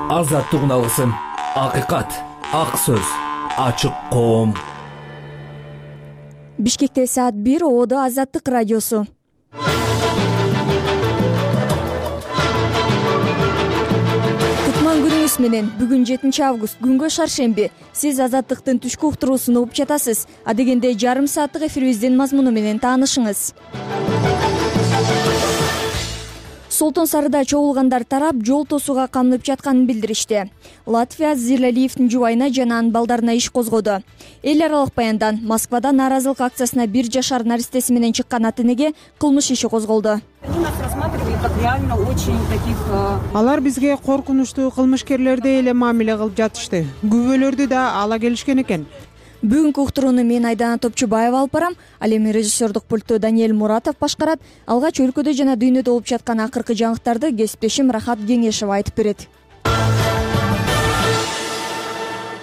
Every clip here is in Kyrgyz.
Азаттык алгысым, акыйкат, ак сөз, ачык коом. Бишкекте саат 1, Одо Азаттык радиосу. Кутман күнүңүз менен. Бүгүн 7 август, күнгө шаршемби. Сиз Азаттыктын түшкү уктуруусун угуп жатасыз. Адегенде жарым сааттык эфирибиздин мазмуну менен таанышыңыз. Солтон Сарыда чогулгандар тарап жол тосууга камынып жатканын билдиришти. Латвия Зилалиевдин жубайына жана анын балдарына иш козгоду. Эл аралык баяндан Москвада нааразылык акциясына 1 жашар наристеси менен чыккан ата энеге кылмыш иши козголду. Алар бизге коркунучтуу кылмышкерлердей эле мамиле кылып жатышты. Күбөлөрдү да ала келишкен экен. Бүгүнкү уктурууну мен Айдана Топчубаева алып барам. Ал эми режиссердук пультту Даниэль Муратов башкарат. Алгач өлкөдө жана дүйнөдө болуп жаткан акыркы жаңылыктарды кесиптешим Рахат Кеңешева айтып берет.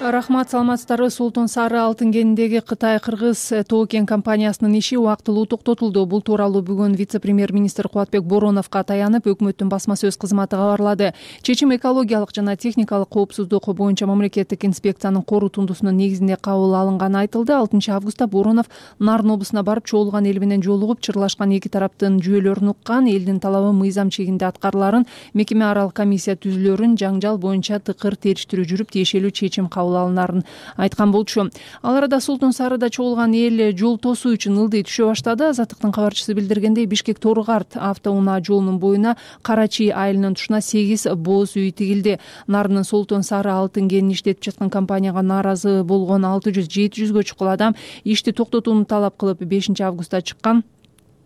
Рахмат, саламатсыздарбы. Солтон Сары алтын кениндеги Кытай-Кыргыз тоо кен компаниясынын иши убактылуу токтотулду. Бул тууралуу бүгүн вице-премьер-министр Кубатбек Бороновго таянып, өкмөттүн басма сөз кызматы кабарлады. Чечим экологиялык жана техникалык коопсуздук боюнча мамлекеттик инспекциянын корутундусунун негизинде кабыл алынганы айтылды. 6 августта Боронов Нарын облусуна барып, чогулган эл менен жолугуп, чырлашкан эки тараптын жүйөлөрүн уккан, элдин талабы мыйзам чегинде аткарыларын, мекеме аралык комиссия түзүлөрүн, жаңжал боюнча тыкыр териштирүү жүрүп, тиешелүү чечим кабыл алынарын айткан болчу. Ал арада Солтон Сарыда чогулган эл жол тосуу үчүн ылдый түшө баштады. Азаттыктын кабарчысы билдиргендей, Бишкек-Тору-Карт автоунаа жолунун боюна Карачи айылынын тушуна 8 бооз үй тигилди. Нарынын Солтон Сары алтын кенин иштетип жаткан компанияга нааразы болгон 600-700гө чукул адам ишти токтотууну талап кылып 5 августта чыккан.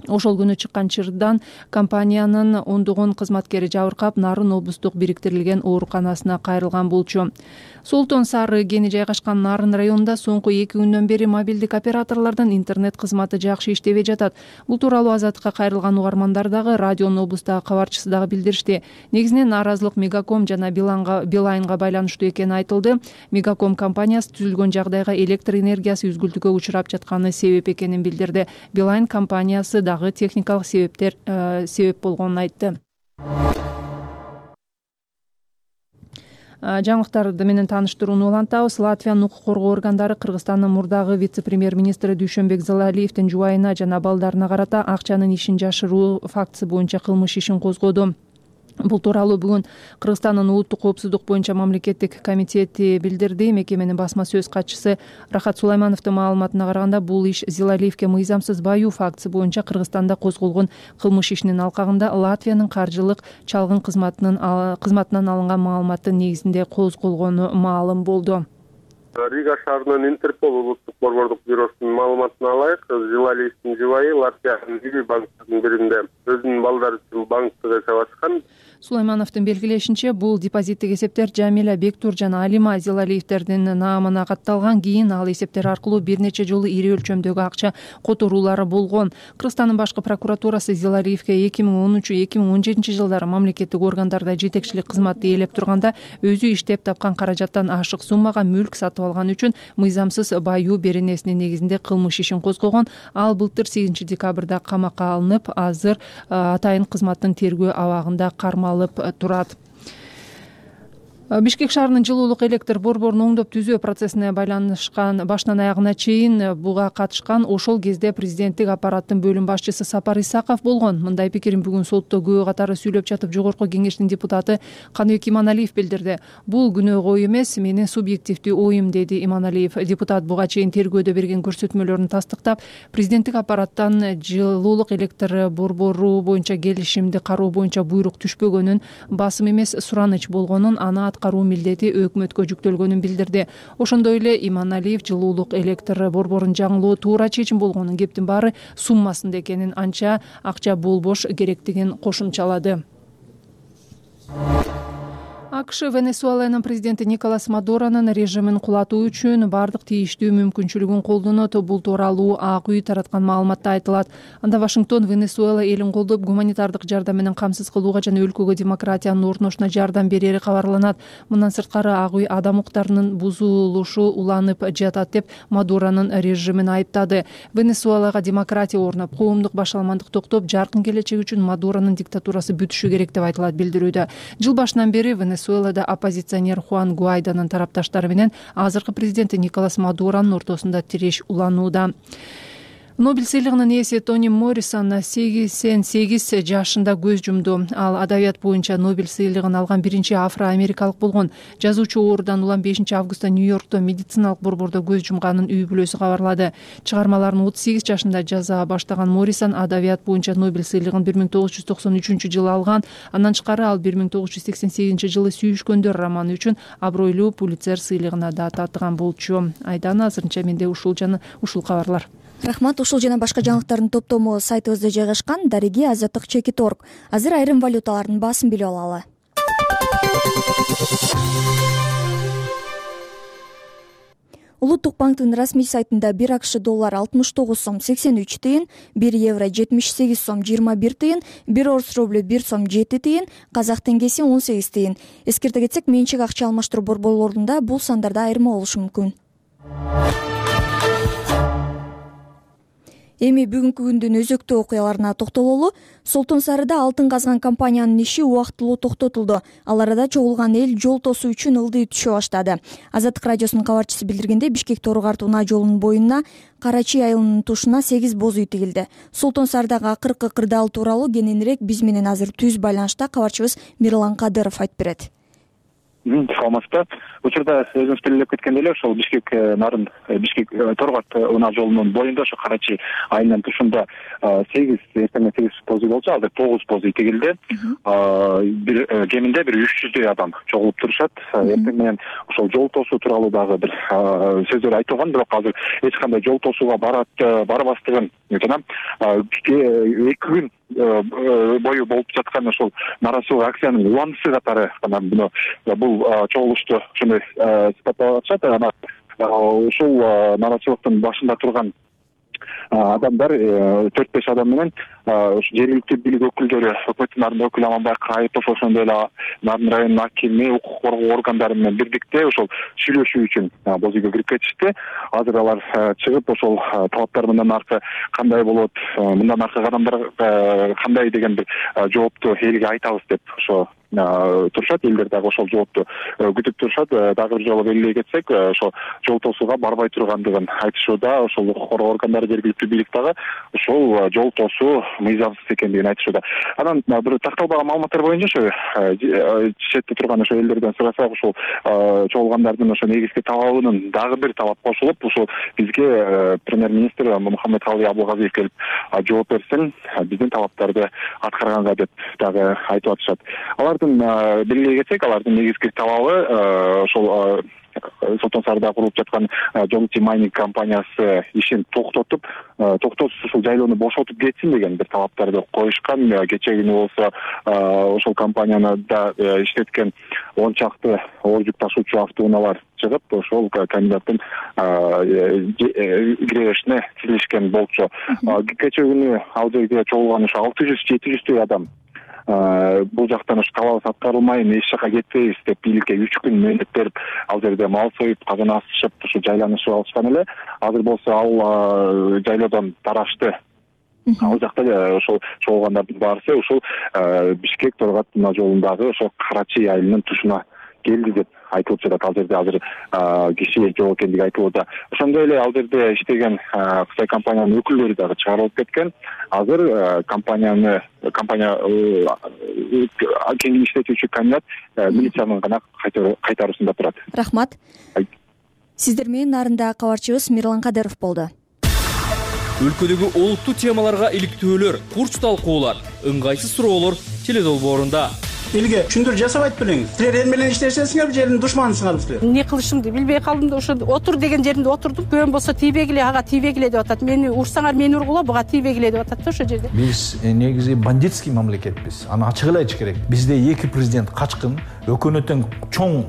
Ошол күнү чыккан чырдан компаниянын ондогон кызматкери жабыркап, Нарын облустук бириктирилген ооруканасына кайрылган болчу. Солтон Сары кени жайгашкан Нарын районунда соңку 2 күндөн бери мобилдик операторлордун интернет кызматы жакшы иштебей жатат. Бул тууралуу Азаттыкка кайрылган угармандар дагы, радионун облустагы кабарчысы дагы билдиришти. Негизинен нааразылык Мегаком жана Билайнга байланыштуу экени айтылды. Мегаком компаниясы түзүлгөн жагдайга электр энергиясы үзгүлтүккө учурап жатканы себеп экенин билдирди. Билайн компаниясы дагы техникалык себеп болгонун айтты. Жаңылыктарды менен тааныштырууну улантабыз. Латвиянын укук коргоо органдары Кыргызстандын мурдагы вице-премьер-министри Дүйшөнбек Зилалиевдин жубайына жана балдарына карата акчанын ишин жашыруу фактысы боюнча кылмыш ишин козгоду. Бул тууралуу бүгүн Кыргызстандын улуттук коопсуздук боюнча мамлекеттик комитети билдирди. Мекеменин басма сөз катчысы Рахат Сулаймановдун маалыматына караганда, бул иш Зилалиевге мыйзамсыз баюу фактысы боюнча Кыргызстанда козголгон кылмыш ишинин алкагында Латвиянын каржылык чалгын кызматынан алынган маалыматтын негизинде козголгону маалым болду. Рига шаарынын Интерпол улуттук борбордук бюросунун маалыматына алайык, Зилалиевдин жубайы Латвиянын ири банктердин биринде өзүнүн балдары үчүн банктык эсеп ачкан. Сулаймановдун белгилешинче, бул депозиттик эсептер Жамиля, Бектур жана Алима Зилалиевдердин наамына катталган. Кийин ал эсептер аркылуу бир нече жолу ири өлчөмдөгү акча которуулары болгон. Кыргызстандын башкы прокуратурасы Зилалиевге 2013-2017 жылдары мамлекеттик органдарда жетекчилик кызматты ээлеп турганда өзү иштеп тапкан каражаттан ашык суммага мүлк сатып алган үчүн мыйзамсыз баюу беренесинин негизинде кылмыш ишин козгогон. Ал былтыр 8 декабрда камакка алынып, азыр атайын кызматтын тергөө абагында кармалып турат. Бишкек шаарынын жылуулук электр борборун оңдоп түзөө процессине байланышкан башынан аягына чейин буга катышкан ошол кезде президенттик аппараттын бөлүм башчысы Сапар Исаков болгон. Мындай пикирин бүгүн сотто күбө катары сүйлөп жатып жогорку кеңештин депутаты Каныбек Иманалиев билдирди. Бул күнөөгө ой эмес, менин субъективдүү оюм, деди Иманалиев. Депутат буга чейин тергөөдө берген көрсөтмөлөрүн тастыктап, президенттик аппараттан жылуулук электр борбору боюнча келишимди кароо боюнча буйрук түшпөгөнүн, басым эмес сураныч болгонун, аны аткаруу милдети өкмөткө жүктөлгөнүн билдирди. Ошондой эле Иманалиев жылуулук электр борборун жаңылоо туура чечим болгонун, кептин баары суммасында экенин, анча акча болбош керектигин кошумчалады. АКШ Венесуэланын президенти Николас Мадуронун режимин кулатуу үчүн бардык тийиштүү мүмкүнчүлүгүн колдонот. Бул тууралуу Ак үй тараткан маалыматта айтылат. Анда Вашингтон Венесуэла элин колдоп, гуманитардык жардам менен камсыз кылууга жана өлкөгө демократиянын орношуна жардам берери кабарланат. Мындан сырткары Ак үй адам укуктарынын бузулушу уланып жатат деп Мадуронун режимин айыптады. Венесуэлага демократия орноп, коомдук башаламандык токтоп, жаркын келечек үчүн Мадуронун диктатурасы бүтүшү керек деп айтылат билдирүүдө. Жыл башынан бери Венесуэла Венесуэлада оппозиционер Хуан Гуайдонун тарапташтары менен азыркы президенти Николас Мадуронун ортосунда тиреш уланууда. Нобель сыйлыгынын ээси Тони Моррисон 88 жашында көз жумду. Ал адабият боюнча Нобель сыйлыгын алган биринчи афро-америкалык болгон. Жазуучу оорудан улам 5-августта Нью-Йоркто медициналык борбордо көз жумганын үй бүлөсү кабарлады. Чыгармаларын 38 жашында жаза баштаган Моррисон адабият боюнча Нобель сыйлыгын 1993-жылы алган. Андан тышкары ал 1988-жылы Сүйүшкөндөр романы үчүн абройлуу Пулитцер сыйлыгына да татыган болчу. Айдана азырынча менде ушул кабарлар. Рахмат. Ушул жана башка жаңылыктардын топтому сайтыбызда жайгашкан. Дареги Азаттык Чекит.орг. Азыр айрым валюталардын баасын билип алалы. Улуттук банктын расмий сайтында 1 АКШ доллар 69 сом 83 тыйын, 1 евро 78 сом 21 тыйын, 1 орус рублю 1 сом 7 тыйын, казак теңгеси 18 тыйын. Эскерте кетсек, менчик акча алмаштыруу борборлорунда бул сандарда айырма болушу мүмкүн. Эми бүгүнкү күндүн өзөктүү окуяларына токтололу. Солтон Сарыда алтын казган компаниянын иши убактылуу токтотулду. Ал арада чогулган эл жол тосуу үчүн ылдый түшө баштады. Азаттык радиосунун кабарчысы билдиргендей, Бишкек Тору-Карт унаа жолунун боюна Карачи айылынын тушуна 8 боз үй тигилди. Солтон Сарыдагы акыркы кырдаал тууралуу кененирээк биз менен азыр түз байланышта кабарчыбыз Мирлан Кадыров айтып берет. Саламатсыздар. Учурда өзүңүз белгилеп кеткендей эле ошол Бишкек нарын Бишкек Тору-Карт унаа жолунун боюнда ошо Карачи айылынын тушунда 8 боз үй болчу, азыр 9 боз үй тигилди. Бир кеминде 300 адам чогулуп турушат. Эртең менен ошол жол тосуу тууралуу дагы бир сөздөр айтылган, бирок азыр эч кандай жол тосууга барбастыгын жана 2 күн бою болуп жаткан ошол нааразычылык акциянын уланысы катары бул чогулушту ошондой сыпаттап атышат. Ушул нааразычылыктын башында турган адамдар 4-5 адам менен жергиликтүү бийлик өкүлдөрү, өкмөттүн нарын өкүлү Аманбай Кайыпов, ошондой эле Нарын районунун акими, укук коргоо органдары менен бирдикте ошол сүйлөшүү үчүн боз үйгө кирип кетишти. Азыр алар чыгып ошол талаптар мындан аркы кандай болот, мындан аркы кадамдар кандай деген бир жоопту элге айтабыз деп ошо турушат. Элдер дагы ошол жоопту күтүп турушат. Дагы бир жолу белгилей кетсек, ошо жол тосууга барбай тургандыгын айтышууда. Ошол укук коргоо органдары, жергиликтүү бийлик дагы ошол жол тосуу мыйзамсыз экендигин айтышууда. Анан бир такталбаган маалыматтар боюнча ошо четте турган ошо элдерден сурасак, ошол чогулгандардын ошо негизги талабынын дагы бир талап кошулуп, ошол бизге премьер-министр Мухаммедкалый Абылгазиев келип жооп берсин, биздин талаптарды аткарганга деп дагы айтып атышат. Алардын белгилей кетсек, алардын негизги талабы ошол Солтон Сарыда курулуп жаткан Жолти майнинг компаниясы ишин токтотуп, ушул жайлоону бошотуп кетсин деген бир талаптарды коюшкан. Кечээ күнү болсо ошол компанияны да иштеткен 10 чакты оор жүк ташуучу автоунаалар чыгып, ошол кандидаттын киребешине тизилишкен болчу. Кечээ күнү ал жерге чогулган ошо 600-700 адам бул жактан ушу талабыбыз аткарылмайын, эч жака кетпейбиз деп бийликке 3 күн мөөнөт берип, ал жерде мал союп, казан асышып, ушу жайланышып алышкан эле. Азыр болсо ал жайлоодон тарашты. Ал жакта ошол чогулгандардын баарысы ушул Бишкек Тору-Карт унаа жолундагы ошол Карачи айылынын тушуна келди деп айтылып жатат. Ал жерде азыр киши жок экендиги айтылууда. Ошондой эле ал жерде иштеген Кытай компаниянын өкүлдөрү дагы чыгарылып кеткен. Азыр компания кеңин иштетүүчү кандидат милициянын гана кайтаруусунда турат. Рахмат. Сиздер менен нарында кабарчыбыз Мирлан Кадыров болду. Өлкөдөгү олуттуу темаларга иликтөөлөр, курч талкуулар, ыңгайсыз суроолор теледолбоорунда. Элге түшүндүрүү жасабайт белеңиз. Силер эл менен иштешесиңер, жердин душманысыңар силер. Эмне кылышымды билбей калдым да ошо отур деген жеринде отурдум. Көн болсо тийбегиле, ага тийбегиле деп атат. Мени урсаңар мени ургула, буга тийбегиле деп атат да ошо жерде. Биз негизи бандитский мамлекетпиз. Аны ачык эле айтыш керек. Бизде 2 президент качкын, өкмөттүн чоң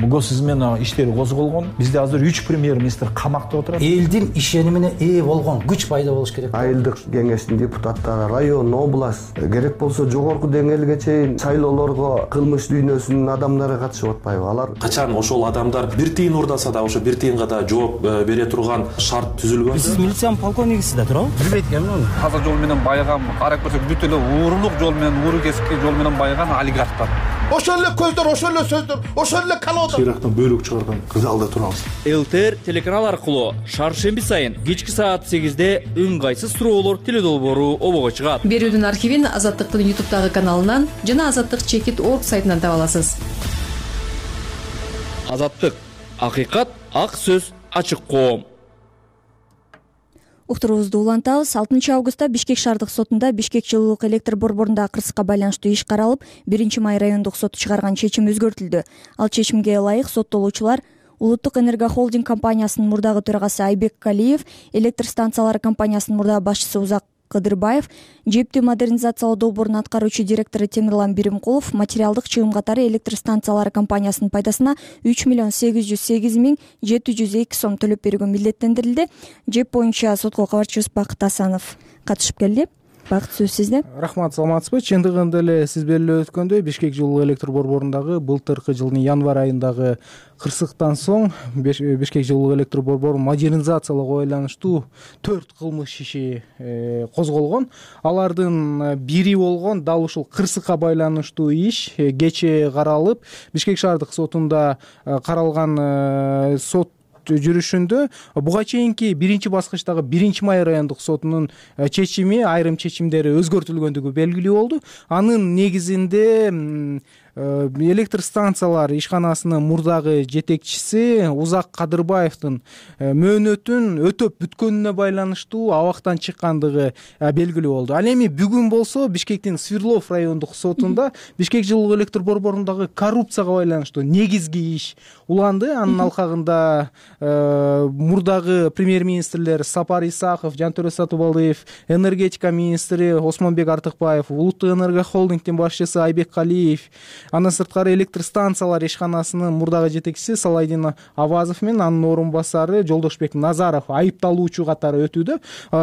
госизмена иштери козголгон. Бизде азыр 3 премьер-министр камакта отурат. Элдин ишенимине ээ болгон күч пайда болуш керек. Айылдык кеңештин депутаттары, район, область, керек болсо жогорку деңгээлге чейин шайлоолорго кылмыш дүйнөсүнүн адамдары катышып атпайбы? Алар качан ошол адамдар бир тыйын урдаса да ошо бир тыйынга да жооп бере турган шарт түзүлгөн. Сиз милициянын полковнигисиз да туурабы? Билбейт экенмин. Таза жол менен байыган, карап көрсөк бүт эле уурлук жол менен, ууру кесикти жол менен байыган олигархтар. ошол эле көздөр, ошол эле сөздөр, ошол эле колода. Ирактан бөлүк чыгарган залда турабыз. ЛТР телеканал аркылуу шаршемби сайын кечки саат 8-де үн кайсыз суроолор теледолбоору обого чыгат. Берүүдүн архивин Азаттыктын YouTube'дагы каналынан жана azаттык.org сайтынан таба аласыз. Азаттык, акыйкат, ак сөз, ачык коом. Уктуруубузду улантабыз. 6 августта Бишкек шаардык сотунда Бишкек жылуулук электр борборундагы кырсыкка байланыштуу иш каралып, 1-май райондук соту чыгарган чечим өзгөртүлдү. Ал чечимге ылайык соттолуучулар Улуттук энергохолдинг компаниясынын мурдагы төрагасы Айбек Калиев, электр станциялары компаниясынын мурдагы башчысы Узак Кыдырбаев, жептүү модернизациялоо долбоорунун аткаруучу директору Темирлан Биримкулов материалдык чыгым катары электр станциялары компаниясынын пайдасына 3.808.702 сом төлөп берүүгө милдеттендирилди. Жеп боюнча сотко кабарчыбыз Бакыт Асанов катышып келди. Бакыт, сөз сизде. Рахмат, саламатсызбы? Чындыгында эле сиз белгилеп өткөндөй, Бишкек жылуу электр борборундагы былтыркы жылдын январь айындагы кырсыктан соң Бишкек жылуу электр борбору модернизациялоого байланыштуу 4 кылмыш иши козголгон. Алардын бири болгон дал ушул кырсыкка байланыштуу иш кечээ каралып, Бишкек шаардык сотунда каралган сот жүрүшүндө буга чейинки 1-баскычтагы 1-май райондук сотунун чечими, айрым чечимдери өзгөртүлгөндүгү белгилүү болду. Анын негизинде электр станциялар ишканасынын мурдагы жетекчиси Узак Кадырбаевдин мөөнөтүн өтөп бүткөнүнө байланыштуу абактан чыккандыгы белгилүү болду. Ал эми бүгүн болсо Бишкектин Свердлов райондук сотунда Бишкек жылуу электр борборундагы коррупцияга байланыштуу негизги иш уланды. Анын алкагында мурдагы премьер-министрлер Сапар Исаков, Жантөрө Сатыбалдиев, энергетика министри Осмонбек Артыкбаев, Улуттук энергохолдингдин башчысы Айбек Калиев, андан сырткары электр станциялар ишканасынын мурдагы жетекчиси Салайдин Авазов менен анын орун басары Жолдошбек Назаров айыпталуучу катары өтүүдө.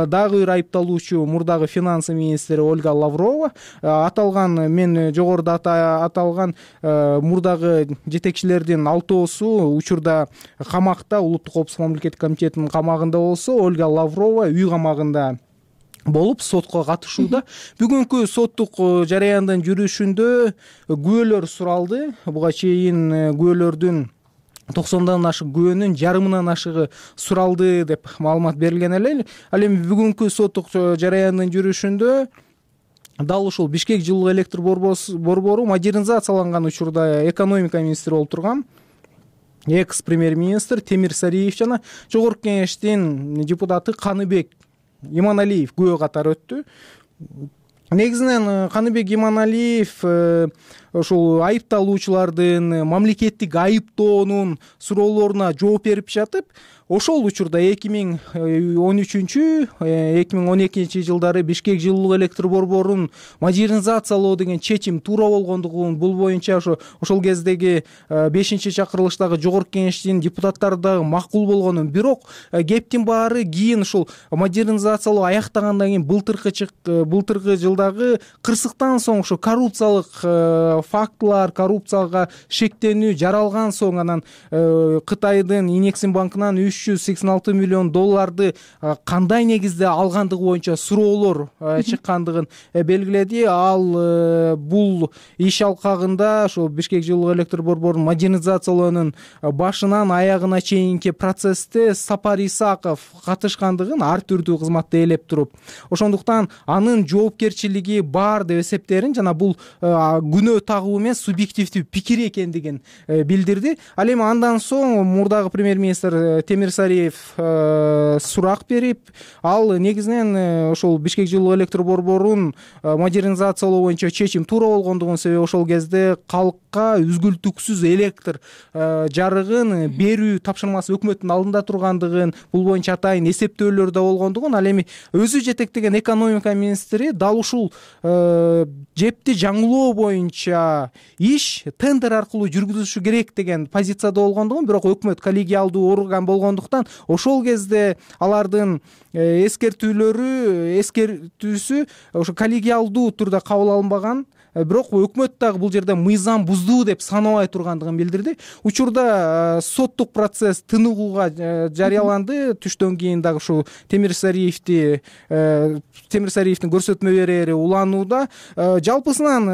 Дагы бир айыпталуучу мурдагы финансы министри Ольга Лаврова. Аталган мен жогоруда аталган мурдагы жетекчилердин 6-оосу учурда камакта, Улуттук коопсуздук мамлекеттик комитетинин камагында болсо, Ольга Лаврова үй камагында болуп сотко катышууда. Бүгүнкү соттук жараяндын жүрүшүндө күбөлөр суралды. Буга чейин күбөлөрдүн 90дан ашык күбөнүн жарымынан ашыгы суралды деп маалымат берилген эле. Ал эми бүгүнкү соттук жараяндын жүрүшүндө дал ушул Бишкек жылуу электр борбору модернизацияланган учурда экономика министри болуп турган экс премьер-министр Темир Сариев жана жогорку кеңештин депутаты Каныбек Иманалиев күбө катары өттү. Негизинен Каныбек Иманалиев ошол айыпталуучулардын мамлекеттик айыптоонун суроолоруна жооп берип жатып, ошол учурда 2013-2012 жылдары Бишкек жылуу электр борборун модернизациялоо деген чечим туура болгондугун, бул боюнча ошол кездеги 5-чакырылыштагы жогорку кеңештин депутаттары дагы макул болгонун, бирок кептин баары кийин ушул модернизациялоо аяктагандан кийин былтыркы жылдагы кырсыктан соң ошо коррупциялык фактылар, коррупцияга шектенүү жаралган соң анан Кытайдын Инексим банкынан 386 миллион долларды кандай негизде алгандыгы боюнча суроолор чыккандыгын белгиледи. Ал бул иш алкагында ошо Бишкек жылуу электр борборун модернизациялоонун башынан аягына чейинки процессте Сапар Исаков катышкандыгын ар түрдүү кызматты ээлеп туруп, ошондуктан анын жоопкерчилиги бар деп эсептээрин жана бул күнөө тагуу эмес, субъективдүү пикир экендигин билдирди. Ал эми андан соң мурдагы премьер-министр Темир Сариев сурак берип, ал негизинен ошол Бишкек жылуу электр борборун модернизациялоо боюнча чечим туура болгондугун, себеби ошол кезде калкка үзгүлтүксүз электр жарыгын берүү тапшырмасы өкмөттүн алдында тургандыгын, бул боюнча атайын эсептөөлөр да болгондугун, ал эми өзү жетектеген экономика министри дал ушул жепти жаңылоо боюнча иш тендер аркылуу жүргүзүлүшү керек деген позицияда болгондугун, бирок өкмөт коллегиалдуу орган болгондуктан ошол кезде алардын эскертүүсү ошо коллегиалдуу түрдө кабыл алынбаган, бирок өкмөт дагы бул жерде мыйзам буздуу деп санабай тургандыгын билдирди. Учурда соттук процесс тыныгууга жарыяланды. Түштөн кийин дагы ушул Темир Сариевдин көрсөтмө берери уланууда. Жалпысынан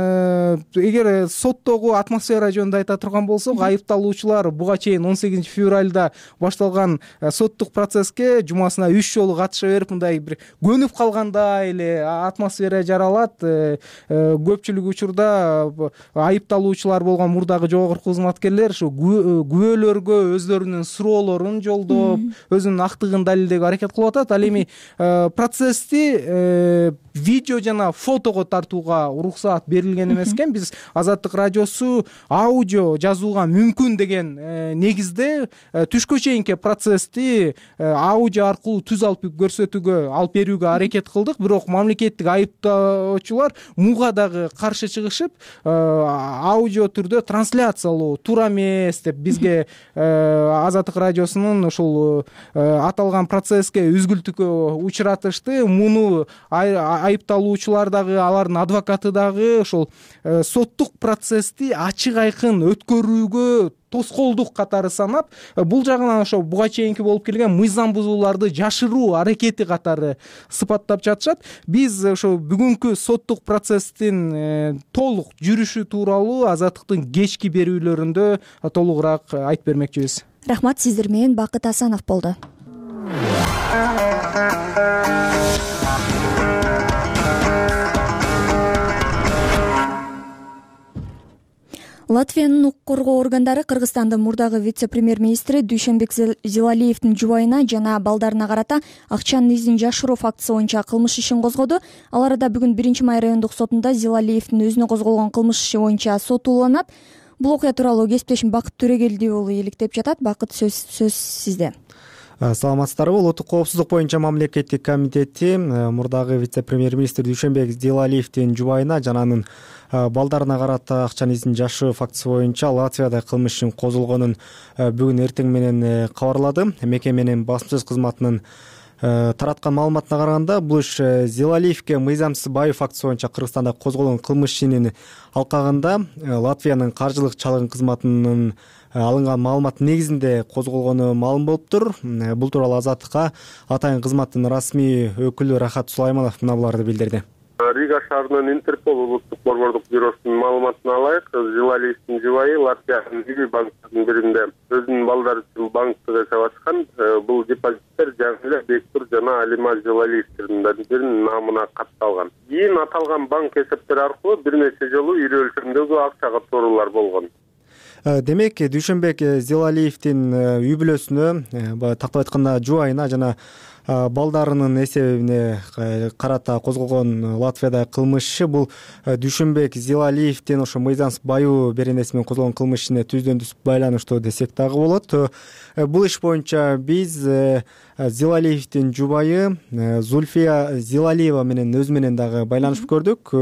эгер соттогу атмосфера жөнүндө айта турган болсок, айыпталуучулар буга чейин 18 февралда башталган соттук процесске жумасына 3 жолу катыша берип, мындай бир көнүп калгандай эле атмосфера жаралат. Көпчүлүк учурда айыпталуучулар болгон мурдагы жогорку кызматкерлер ушу күбөлөргө өздөрүнүн суроолорун жолдоп, өзүнүн актыгын далилдөөгө аракет кылып атат. Ал эми процессти видео жана фотого тартууга уруксаат берилген эмес экен. Биз Азаттык радиосу аудио жазууга мүмкүн деген негизде түшкө чейинки процессти аудио аркылуу түз алып көрсөтүүгө алып берүүгө аракет кылдык. Бирок мамлекеттик айыптоочулар муга дагы каршы чыгышып, аудио түрдө трансляциялоо туура эмес деп бизге Азаттык радиосунун ушул аталган процесске үзгүлтүккө учуратышты. Муну айыпталуучулар дагы, алардын адвокаты дагы ошол соттук процессти ачык айкын өткөрүүгө тоскоолдук катары санап, бул жагынан ошо буга чейинки болуп келген мыйзам бузууларды жашыруу аракети катары сыпаттап жатышат. Биз ошо бүгүнкү соттук процесстин толук жүрүшү тууралуу Азаттыктын кечки берүүлөрүндө толугураак айтып бермекчибиз. Рахмат, сиздер менен Бакыт Асанов болду. Латвиянын укук коргоо органдары Кыргызстандын мурдагы вице-премьер-министри Дүйшөнбек Зилалиевдин жубайына жана балдарына карата акчанын изин жашыруу фактысы боюнча кылмыш ишин козгоду. Ал арада бүгүн 1-Май райондук сотунда Зилалиевдин өзүнө козголгон кылмыш иши боюнча сот уланат. Бул окуя тууралуу кесиптешим Бакыт Төрөгелди болу иликтеп жатат. Бакыт, сөз сизде. Саламатсыздарбы? Улуттук коопсуздук боюнча мамлекеттик комитети мурдагы вице-премьер-министр Дүйшөнбек Зилалиевдин жубайына жана анын балдарына карата акчанын изин жашыруу фактысы боюнча Латвияда кылмыш ишин козулгонун бүгүн эртең менен кабарлады. Мекеменин басмасөз кызматынын тараткан маалыматына караганда, бул иш Зилалиевге мыйзамсыз байоо фактысы боюнча Кыргызстанда козголгон кылмыш ишинин алкагында Латвиянын каржылык чалгын кызматынын алынган маалыматтын негизинде козголгону маалым болуптур. Бул тууралуу Азаттыкка атайын кызматтын расмий өкүлү Рахат Сулайманов мына буларды билдирди. Рига шаарынын Интерпол улуттук борбордук бюросунун маалыматына ылайык, Зилалиевдин жубайы Латвиянын ири банктеринин биринде өзүнүн балдары үчүн банктык эсеп ачкан. Бул депозиттер Жаңыле Бектур жана Алима Зилалиевдин биринин намына катталган. Кийин аталган банк эсептери аркылуу бир нече жолу ири өлчөмдөгү акча катыруулар болгон. Демек, Дүйшөнбек Зилалиевдин үй бүлөсүнө, тактап айтканда жубайына жана балдарынын эсебине карата козголгон Латвияда кылмыш иши бул Дүйшөнбек Зилалиевдин ошо мыйзамсыз байоо беренеси менен козголгон кылмыш ишине түздөн түз байланыштуу десек дагы болот. Бул иш боюнча биз Зилалиевдин жубайы Зульфия Зилалиева менен өзү менен дагы байланышып көрдүк.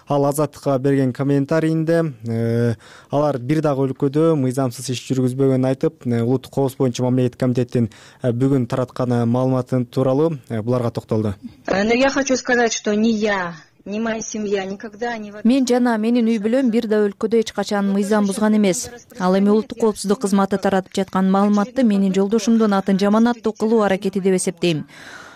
Ал Азаттыкка берген комментарийинде алар бир дагы өлкөдө мыйзамсыз иш жүргүзбөгөнүн айтып, улуттук коопсуздук боюнча мамлекеттик комитеттин бүгүн тараткан маалыматы тууралуу буларга токтолду. Но я хочу сказать, что ни я, ни моя семья никогда не... Мен жана менин үй бүлөм бир да өлкөдө эч качан мыйзам бузган эмес. Ал эми улуттук коопсуздук кызматы таратып жаткан маалыматты менин жолдошумдун атын жаманаттуу кылуу аракети деп эсептейм.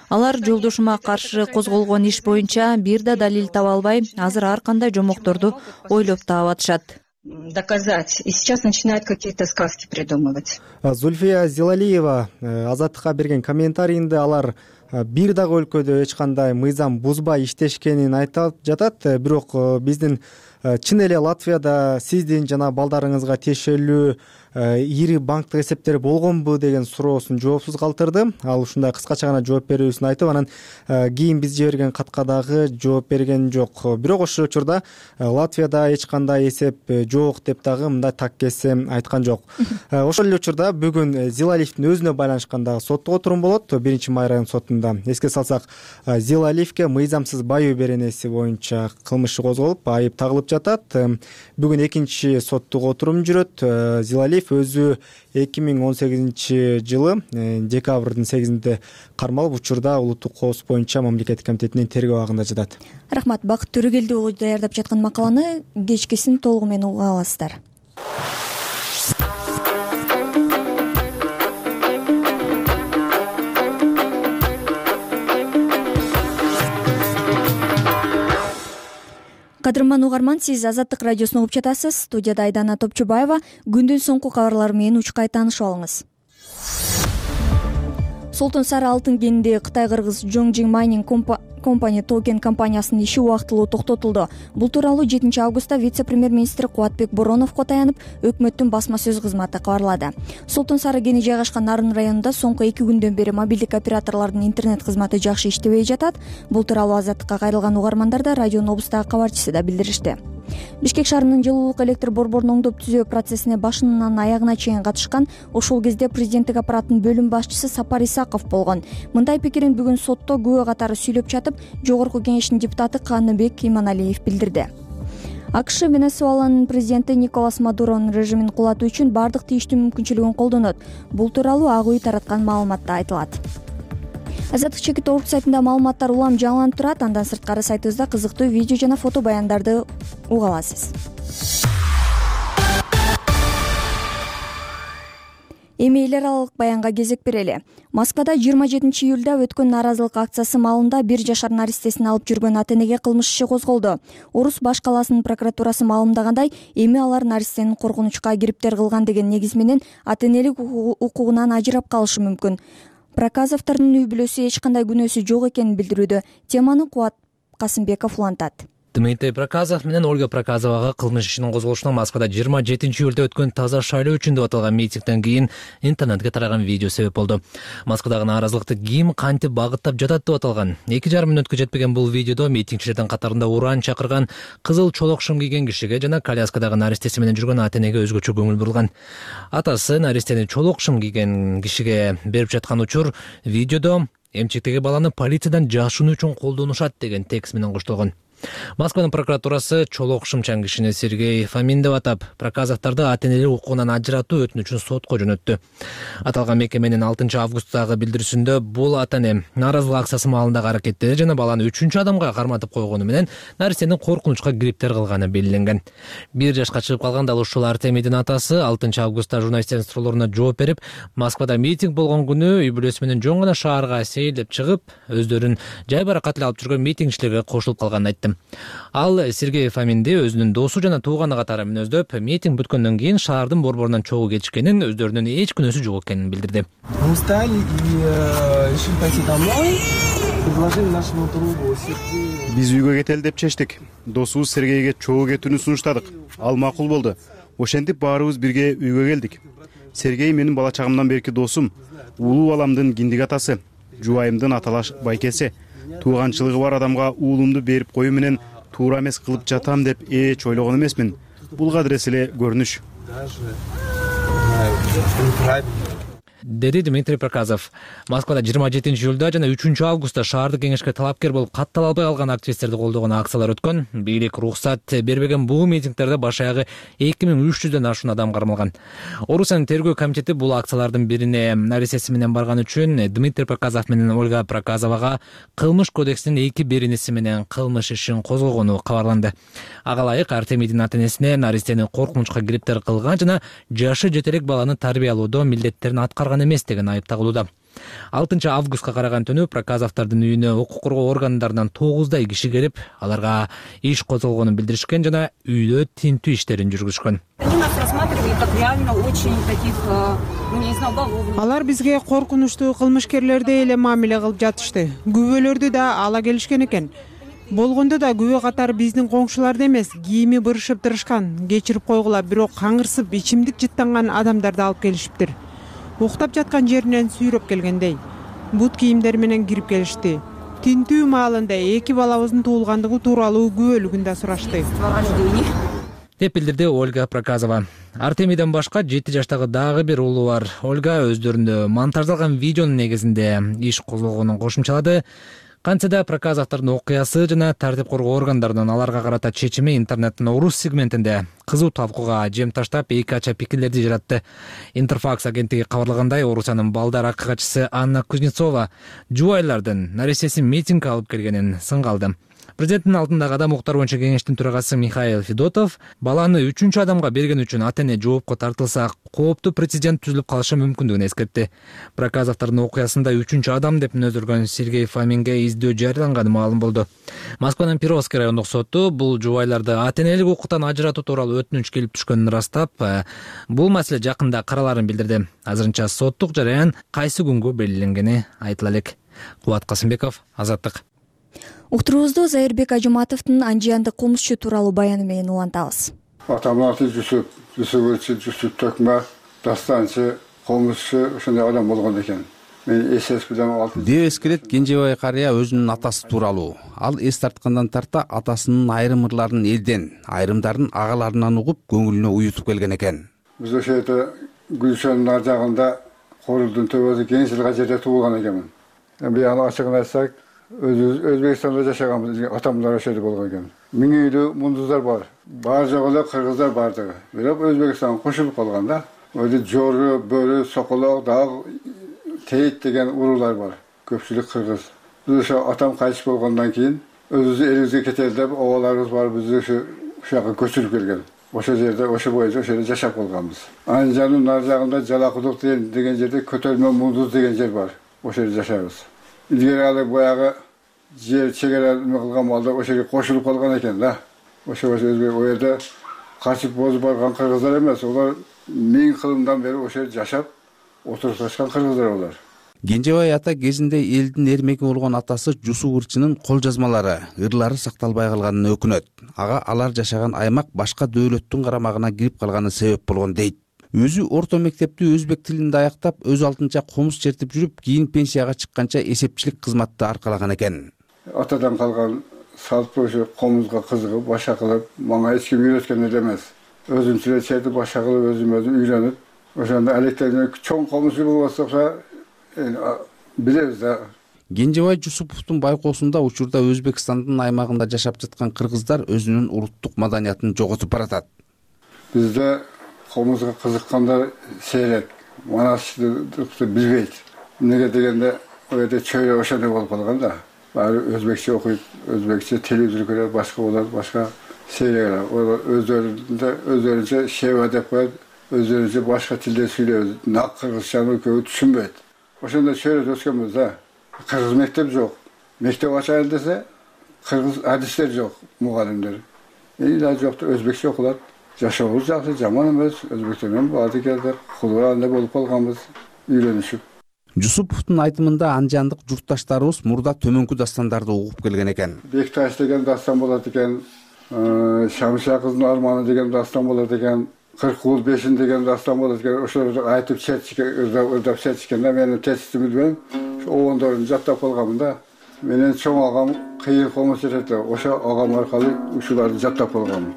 Алар жолдошума каршы козголгон иш боюнча бир да далил таба албай, азыр ар кандай жомокторду ойлоп таап атышат. Доказать. И сейчас начинают какие-то сказки придумывать. Зульфия Зилалиева Азаттыкка берген комментарийинде алар бир дагы өлкөдө эч кандай мыйзам бузбай иштешкенин айтып жатат. Бирок биздин чын эле Латвияда сиздин жана балдарыңызга тиешелүү ири банктык эсептери болгонбу деген суроосун жоопсуз калтырды. Ал ушундай кыскача гана жооп берүүсүн айтып, анан кийин биз жиберген катка дагы жооп берген жок. Бирок ошол учурда Латвияда эч кандай эсеп жок деп дагы мындай так кесем айткан жок. Ошол эле учурда бүгүн Зилалиевдин өзүнө байланышкан дагы соттук отурум болот. 1-Май район сотунда учурунда. Эске салсак, Зилалиевке мыйзамсыз байоо беренеси боюнча кылмыш козголуп, айып тагылып жатат. Бүгүн экинчи соттук отурум жүрөт. Зилалиев өзү 2018 жылы декабрдын 8-inde кармалып, учурда улуттук коопсуздук боюнча мамлекеттик комитетинин тергөө абагында жатат. Рахмат. Бакыт Төрөгелди уулу даярдап жаткан макаланы кечкисин толугу менен уга аласыздар. Кадырман угарман, сиз Азаттык радиосун угуп жатасыз. Студияда Айдана Топчубаева. Күндүн соңку кабарлары менен учкай таанышып алыңыз. Солтон Сары алтын кенинде Кытай-кыргыз Jongjing Mining Company токен компаниясынын иши убактылуу токтотулду. Бул тууралуу 7 августта вице-премьер-министр Кубатбек Бороновго таянып, өкмөттүн басма сөз кызматы кабарлады. Солтон Сары кени жайгашкан Нарын районунда соңку 2 күндөн бери мобилдик операторлордун интернет кызматы жакшы иштебей жатат. Бул тууралуу Азаттыкка кайрылган угармандар да радионун облустагы кабарчысы да билдиришти. Бишкек шаарынын жылуулук электр борборун оңдоп түзөө процессине башынан аягына чейин катышкан, ошол кезде президенттик аппараттын бөлүм башчысы Сапар Исаков болгон. Мындай пикирин бүгүн сотто күбө катары сүйлөп жатып, Жогорку кеңештин депутаты Каныбек Иманалиев билдирди. АКШ Венесуэланын президенти Николас Мадуронун режимин кулатуу үчүн бардык тийиштүү мүмкүнчүлүгүн колдонот. Бул тууралуу Ак үй тараткан маалыматта айтылат. Азаттык чекит орг сайтында маалыматтар улам жаңыланып турат. Андан сырткары сайтыбызда кызыктуу видео жана фото баяндарды уга аласыз. Эми эл аралык баянга кезек берели. Москвада 27 июлда өткөн нааразылык акциясы маалында 1 жашар наристесин алып жүргөн ата-энеге кылмыш иши козголду. Орус баш калаасынын прокуратурасы маалымдагандай, эми алар наристенин коркунучка кириптер кылган деген негиз менен ата-энелик укугунан ажырап калышы мүмкүн. Проказовдордун үй бүлөсү эч кандай күнөөсү жок экенин билдирүүдө. Теманы Кубат Касымбеков улантат. Дмитрий Проказов менен Ольга Проказовага кылмыш ишинин козголушуна Москвада 27 июлда өткөн таза шайлоо үчүн деп аталган митингден кийин интернетке тараган видео себеп болду. Москвадагы нааразылыкты ким кантип багыттап жатат деп аталган 2,5 мүнөткө жетпеген бул видеодо митингчилердин катарында уран чакырган, кызыл чолок шым кийген кишиге жана коляскадагы наристеси менен жүргөн ата-энеге өзгөчө көңүл бурулган. Атасы наристени чолок шым кийген кишиге берип жаткан учур видеодо эмчектеги баланы полициядан жашынуу үчүн колдонушат деген текст менен коштолгон. Москванын прокуратурасы чолок шымчан кишини Сергей Фомин деп атап, Проказовдорду ата-энелик укугунан ажыратуу өтүнүчүн сотко жөнөттү. Аталган мекеменин 6 августтагы билдирүүсүндө бул ата-эне нааразылык акциясы маалындагы аракеттери жана баланы 3 адамга карматып койгону менен наристенин коркунучка кириптер кылганы белгиленген. 1 жашка чыгып калган дал ушул Артемийдин атасы 6 августта журналисттердин суроолоруна жооп берип, Москвада митинг болгон күнү үй бүлөсү менен жоң гана шаарга сейилдеп чыгып, өздөрүн жай баракат эле алып жүргөн митингчилерге кошулуп калганын айтты. Ал Сергей Фоминди өзүнүн досу жана тууганы катары мүнөздөп, митинг бүткөндөн кийин шаардын борборунан чогуу кетишкенин, өздөрүнүн эч күнөөсү жок экенин билдирди. Биз үйгө кетели деп чечтик. Досубуз Сергейге чогуу кетүүнү сунуштадык. Ал макул болду. Ошентип баарыбыз бирге үйгө келдик. Сергей менин бала чагымдан берки досум, улуу баламдын киндик атасы, жубайымдын аталаш байкеси. Тууганчылыгы бар адамга уулумду берип коюу менен туура эмес кылып жатам деп эч ойлогон эмесмин. Бул кадырес эле көрүнүш. Деди Дмитрий Проказов. Москвада 27 июлда жана 3 августта шаардык кеңешке талапкер болуп каттала албай калган активисттерди колдогон акциялар өткөн. Бийлик уруксат бербеген бул митингдерде баш аягы 2300дөн ашуун адам кармалган. Орусиянын тергөө комитети бул акциялардын бирине наристеси менен барган үчүн Дмитрий Проказов менен Ольга Проказовага кылмыш кодексинин 2-бириниси менен кылмыш ишин козгогону кабарланды. Ага ылайык Артемийдин ата-энесине наристени коркунучка кириптер кылган жана жашы жете элек баланы тарбиялоодо милдеттерин аткарган эмес деген айып тагылууда. 6 августка караган түнү Проказовдордун үйүнө укук коргоо органдарынан 9дай киши келип, аларга иш козголгонун билдиришкен жана үйдө тинтүү иштерин жүргүзүшкөн. Алар бизге коркунучтуу кылмышкерлердей эле мамиле кылып жатышты. Күбөлөрдү да ала келишкен экен. Болгондо да күбө катары биздин коңшуларды эмес, кийими бырышып тырышкан, кечирип койгула, бирок каңырсып ичимдик жыттанган адамдарды алып келишиптир. Уктап жаткан жеринен сүйрөп келгендей. Бут кийимдер менен кирип келишти. Тинтүү маалында 2 балабыздын туулгандыгы тууралуу күбөлүгүн да сурашты. деп билдирди Ольга Проказова. Артемийден башка 7 жаштагы дагы бир уулу бар. Ольга өздөрүндө монтаждалган видеонун негизинде иш козголгонун кошумчалады. Кантсе да Проказовдордун окуясы жана тартип коргоо органдарынын аларга карата чечими интернеттин орус сегментинде кызуу талкууга жем таштап, эки ача пикирлерди жаратты. Интерфакс агенттиги кабарлагандай, Орусиянын балдар акы катчысы Анна Кузнецова жубайлардын наресеси митинг алып келгенин сынга алды. Президенттин алдындагы адам укуктары боюнча кеңештин төрагасы Михаил Федотов баланы 3-чү адамга берген үчүн ата-эне жоопко тартылса, кооптуу прецедент түзүлүп калышы мүмкүндүгүн эскертти. Проказовдордун окуясында 3-чү адам деп мүнөздөлгөн Сергей Фоминге издөө жарыяланганы маалым болду. Москванын Перовский райондук соту бул жубайларды ата-энелик укуктан ажыратуу тууралуу өтүнүч келип түшкөнүн ырастап, бул маселе жакында караларын билдирди. Азырынча соттук жараян кайсы күнгө белгиленгени айтыла элек. Кубат Касымбеков, Азаттык. Уктуруубузду Зайырбек Ажыматовдун анжияндык кылмышчы тууралуу баяны менен улантабыз. Атамдын аты Жүсүп Төкмө, дастанчы, кылмышчы ошондой адам болгон экен. Мен СС билен деп эскерет Кенжебай карыя өзүнүн атасы тууралуу. Ал эс тарткандан тарта атасынын айрым ырларын элден, айрымдарын агаларынан угуп, көңүлүнө уютуп келген экен. Биз ошол жерде Гүлшөндүн ар жагында Корулдун төбөсү Кеңшилга жерде туулган экенмин. Бияны ачыгын айтсак, Өзбекстанда жашаганбыз, атамдар ошол жерде болгон экен. 1000 үйлүү мундуздар бар. Бар жогу эле кыргыздар бардыгы. Бирок Өзбекстанга кошулуп калган да. Өзү Жору, Бөрү, Соколок, дагы Тейит деген уруулар бар. Көпчүлүк кыргыз. Биз ошо атам кайтыш болгондон кийин өзүбүздүн элибизге кетели деп, обаларыбыз бар, биз ошо жака көчүрүп келген. Ошол жерде, ошо боюнча ошол жерде жашап калганбыз. Анжанын нар жагында Жалакудук деген жерде Көтөрмө Мундуз деген жер бар. Ошол жерде жашайбыз. Илгери алып баягы жер чегара эме кылган балдар ошол жерге кошулуп калган экен да. Ошо жерде о жерде качып бозуп барган кыргыздар эмес, олар 1000 кылымдан бери ошол жерде жашап отурушкан кыргыздар олар. Кенжебай ата кезинде элдин эрмеги болгон атасы Жусуп Ырчынын кол жазмалары, ырлары сакталбай калганына өкүнөт. Ага алар жашаган аймак башка дөөлөттүн карамагына кирип калганы себеп болгон дейт. Өзү орто мектепти өзбек тилинде аяктап, өз алтынча комуз чертип жүрүп, кийин пенсияга чыкканча эсепчилик кызматты аркалаган экен. Атадан калган салт ошо комузга кызыгып, баша кылып, мага эч ким үйрөткөн эле эмес. Өзүм эле чертип, баша кылып, өзүм үйрөнүп, ошондо электен чоң комуз болбосо билебиз да. Кенжебай Жусуповдун байкоосунда учурда Өзбекстандын аймагында жашап жаткан кыргыздар өзүнүн улуттук маданиятын жоготуп баратат. Бизде комузга кызыккандар сейрек, манаштыкты билбейт. Эмнеге дегенде, о жерде чөйрө ошондой болуп калган да. Баары өзбекче окуйт, өзбекче телевизор көрөт, башка болот, башка сейрек. Олар өздөрүнчө шева деп коет, өздөрүнчө башка тилде сүйлөйт. Нак кыргызчаны көбү түшүнбөйт. Ошондой чөйрөдө өскөнбүз да. Кыргыз мектеп жок. Мектеп ачайын десе, кыргыз адистер жок, мугалимдер. Да жокту, өзбекче окулат. Жашообуз жакшы, жаман эмес. Өзбектер менен баарды келди, кулуранда болуп калганбыз, үйлөнүшүп. Жусуповдун айтымында анжандык журтташтарыбыз мурда төмөнкү дастандарды угуп келген экен. Бекташ деген дастан болот экен, Шамша кыздын арманы деген дастан болот экен, 40 уул бешин деген дастан болот экен. Ошолорду айтып ырдап чертишкенде менин текстти билбейм. Обондорун жаттап калганмын да. Менин чоң агам кыйын комуз чертет. Ошо агам аркылуу ушуларды жаттап калганмын.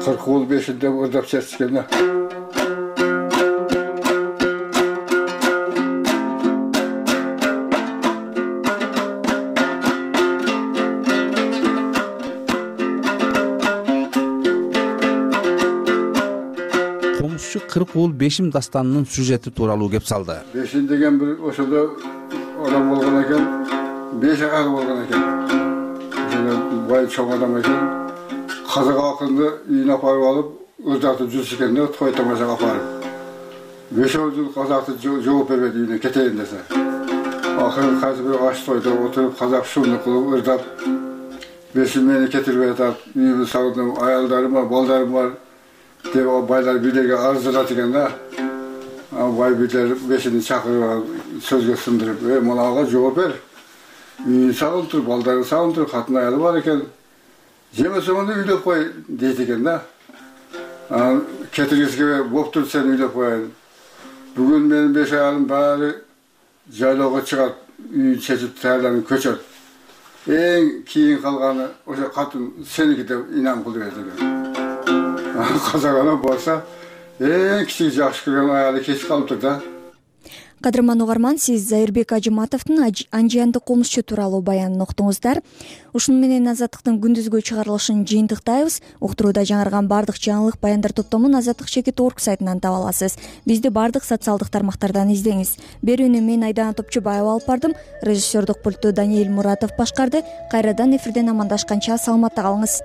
40 уул бешинде ырдап чертишкенде. Комузчу 40 уул бешим дастанынын сюжети тууралуу кеп салды. Бешин деген бир ошондо адам болгон экен, 5 агалы болгон экен. Ошондо бай чоң адам экен. Казак акынды үйүнө апарып алып, ырдатып жүрүшкөндө той тамашага апарып. 5 жыл казакты жооп бербеди үйүнө кетейин десе. Акыры кайсы бир аш тойдо отуруп казак шумду кылып ырдап, бешин мени кетирбей атат, үйүмдү сагындым, аялдарым бар, балдарым бар деп байлар бийлерге арыздырат экен да. Бай бийлер бешинди чакырып сөзгө сындырып, мынага жооп бер. Үйүн сагынып тур, балдарын сагынып тур, катын аялы бар экен. Жемесе оны үйлөп кой дейт экен да. Кетиргисиге болуптур, сен үйлөп коюн. Бүгүн менин 5 аялым баары жайлоого чыгат, үйүн чечип даярданып көчөт. эң кийин калганы ошо катын сеники деп инам кылып берди экен. Казак ана болсо эң кичиги жакшы көргөн аялы кетип калыптыр да. Кадырман угарман, сиз Зайырбек Ажыматовдун анжияндык кылмышчу тууралуу баянын уктуңуздар. Ушуну менен Азаттыктын күндүзгү чыгарылышын жыйынтыктайбыз. Уктурууда жаңырган баардык жаңылык баяндар топтомун azatlyk.org сайтынан таба аласыз. Бизди баардык социалдык тармактардан издеңиз. Берүүнү мен Айдана Топчубаева алып бардым. Режиссердук пультту Даниэль Муратов башкарды. Кайрадан эфирден амандашканча саламатта калыңыз.